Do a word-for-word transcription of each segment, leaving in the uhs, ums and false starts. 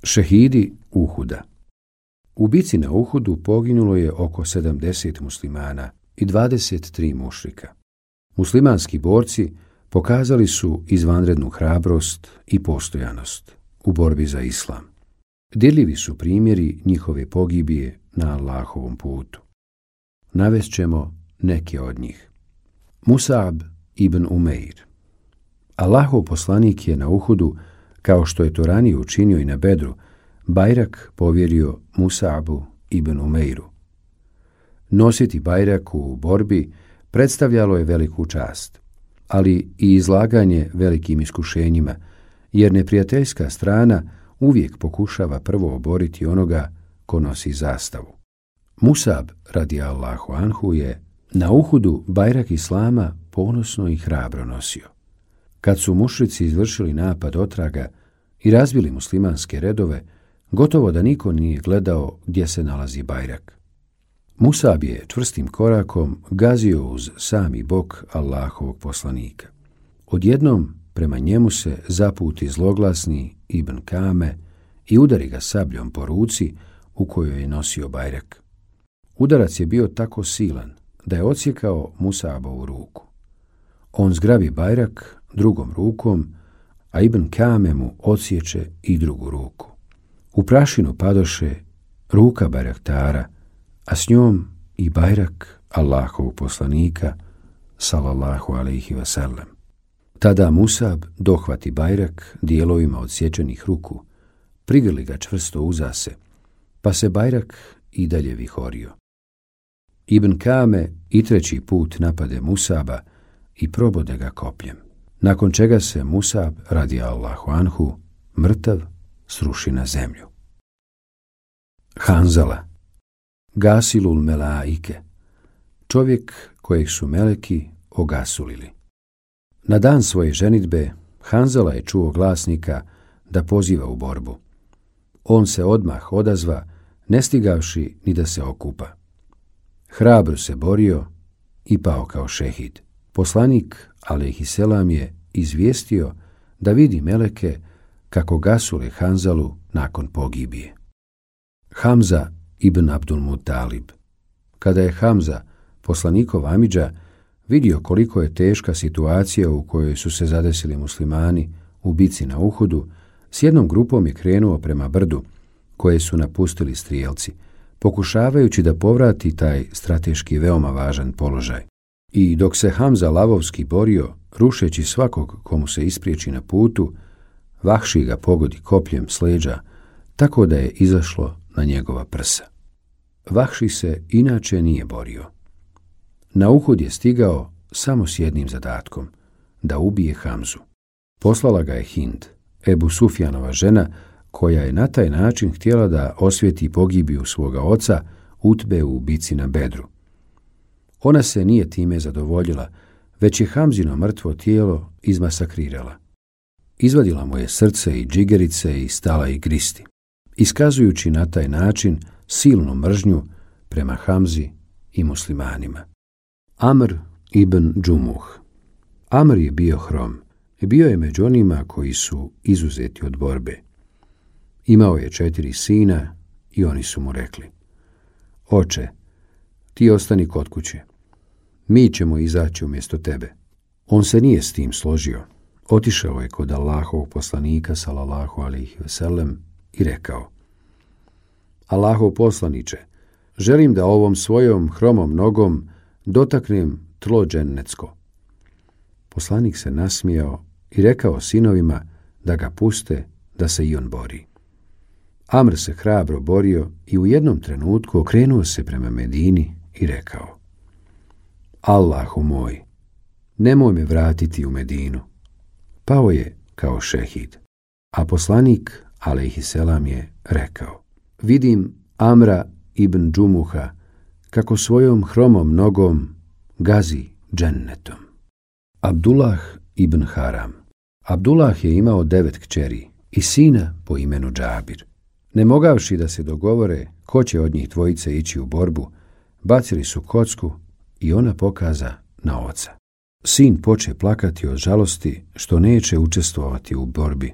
Šehidi Uhuda. U bici na Uhudu poginulo je oko sedamdeset muslimana i dvadeset tri mušrika. Muslimanski borci pokazali su izvanrednu hrabrost i postojanost u borbi za islam. Dirljivi su primjeri njihove pogibije na Allahovom putu. Navest ćemo neke od njih. Musab ibn Umeir. Allahov poslanik je na Uhudu, kao što je to ranije učinio i na Bedru, bajrak povjerio Musabu ibn Umeiru. Nositi bajrak u borbi predstavljalo je veliku čast, ali i izlaganje velikim iskušenjima, jer neprijateljska strana uvijek pokušava prvo oboriti onoga ko nosi zastavu. Musab radijallahu anhu je na Uhudu bajrak islama ponosno i hrabro nosio. Kad su mušrici izvršili napad otraga i razbili muslimanske redove, gotovo da niko nije gledao gdje se nalazi bajrak. Musab je čvrstim korakom gazio uz sami bok Allahovog poslanika. Odjednom prema njemu se zaputi zloglasni Ibn Kame i udari ga sabljom po ruci u kojoj je nosio bajrak. Udarac je bio tako silan da je odsjekao Musabovu ruku. On zgrabi bajrak drugom rukom, a Ibn Kame mu odsječe i drugu ruku. U prašinu padoše ruka bajraktara, a s njom i bajrak Allahovog poslanika, sallallahu alejhi ve sellem. Tada Musab dohvati bajrak dijelovima odsječenih ruku, prigrli ga čvrsto uza se, pa se bajrak i dalje vihorio. Ibn Kame i treći put napade Musaba i probode ga kopljem, nakon čega se Musab radijallahu anhu mrtav sruši na zemlju. Hanzala, gasilul melaike, čovjek kojeg su meleki ogasulili. Na dan svoje ženidbe Hanzala je čuo glasnika da poziva u borbu. On se odmah odazva, ne stigavši ni da se okupa. Hrabro se borio i pao kao šehid. Poslanik, alejhiselam, je izvijestio da vidi meleke kako gasule Hanzalu nakon pogibije. Hamza ibn Abdul Mutalib. Kada je Hamza, poslanikov amidža, vidio koliko je teška situacija u kojoj su se zadesili muslimani u bici na Uhudu, s jednom grupom je krenuo prema brdu koje su napustili strijelci, pokušavajući da povrati taj strateški veoma važan položaj. I dok se Hamza lavovski borio, rušeći svakog komu se ispriječi na putu, Vahši ga pogodi kopljem s leđa, tako da je izašlo na njegova prsa. Vahši se inače nije borio. Na Uhud je stigao samo s jednim zadatkom, da ubije Hamzu. Poslala ga je Hind, Ebu Sufjanova žena, koja je na taj način htjela da osvijeti pogibiju svoga oca Utbe u bici na Bedru. Ona se nije time zadovoljila, već je Hamzino mrtvo tijelo izmasakrirala. Izvadila mu je srce i džigerice i stala ih gristi, iskazujući na taj način silnu mržnju prema Hamzi i muslimanima. Amr ibn Džumuh. Amr je bio hrom i bio je među onima koji su izuzeti od borbe. Imao je četiri sina i oni su mu rekli: Oče, ti ostani kod kuće. Mi ćemo izaći umjesto tebe. On se nije s tim složio. Otišao je kod Allahovog poslanika, sallallahu alejhi ve sellem, i rekao: Allahov poslaniče, želim da ovom svojom hromom nogom dotaknem tlo džennetsko. Poslanik se nasmijao i rekao sinovima da ga puste da se i on bori. Amr se hrabro borio i u jednom trenutku okrenuo se prema Medini i rekao: Allahu moj, nemoj me vratiti u Medinu. Pao je kao šehid, a poslanik, alejhiselam, je rekao: Vidim Amra ibn Džumuha kako svojom hromom nogom gazi džennetom. Abdullah ibn Haram. Abdullah je imao devet kćeri i sina po imenu Džabir. Ne mogavši da se dogovore ko će od njih dvojice ići u borbu, bacili su kocku i ona pokaza na oca. Sin poče plakati od žalosti što neće učestvovati u borbi.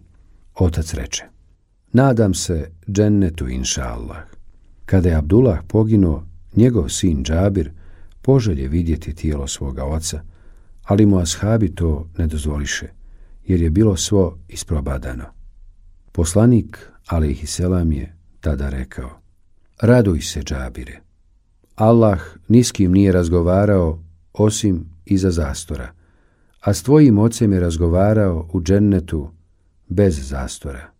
Otac reče: Nadam se džennetu, inša Allah. Kada je Abdullah poginuo, njegov sin Džabir poželje vidjeti tijelo svoga oca, ali mu ashabi to ne dozvoliše, jer je bilo svo isprobadano. Poslanik, alejhiselam, je tada rekao: raduj se, Džabire. Allah ni s kim nije razgovarao osim iza zastora, a s tvojim ocem je razgovarao u džennetu bez zastora.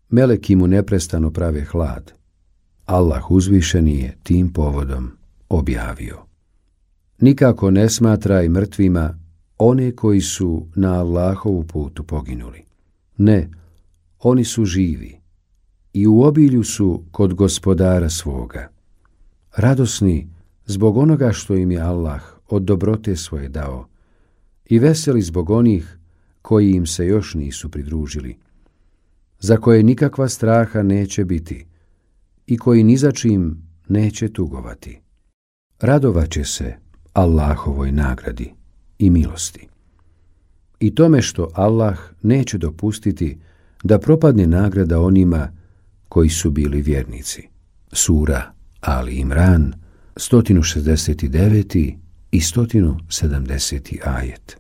Meleki mu neprestano prave hlad. Allah uzvišeni je tim povodom objavio: nikako ne smatraj mrtvima one koji su na Allahovu putu poginuli. Ne, oni su živi i u obilju su kod gospodara svoga, radosni zbog onoga što im je Allah od dobrote svoje dao i veseli zbog onih koji im se još nisu pridružili, za koje nikakva straha neće biti i koji ni za čim neće tugovati. Radovaće se Allahovoj nagradi i milosti i tome što Allah neće dopustiti da propadne nagrada onima koji su bili vjernici. Sura Ali Imran, sto šezdeset devet i sto sedamdeseti ajet.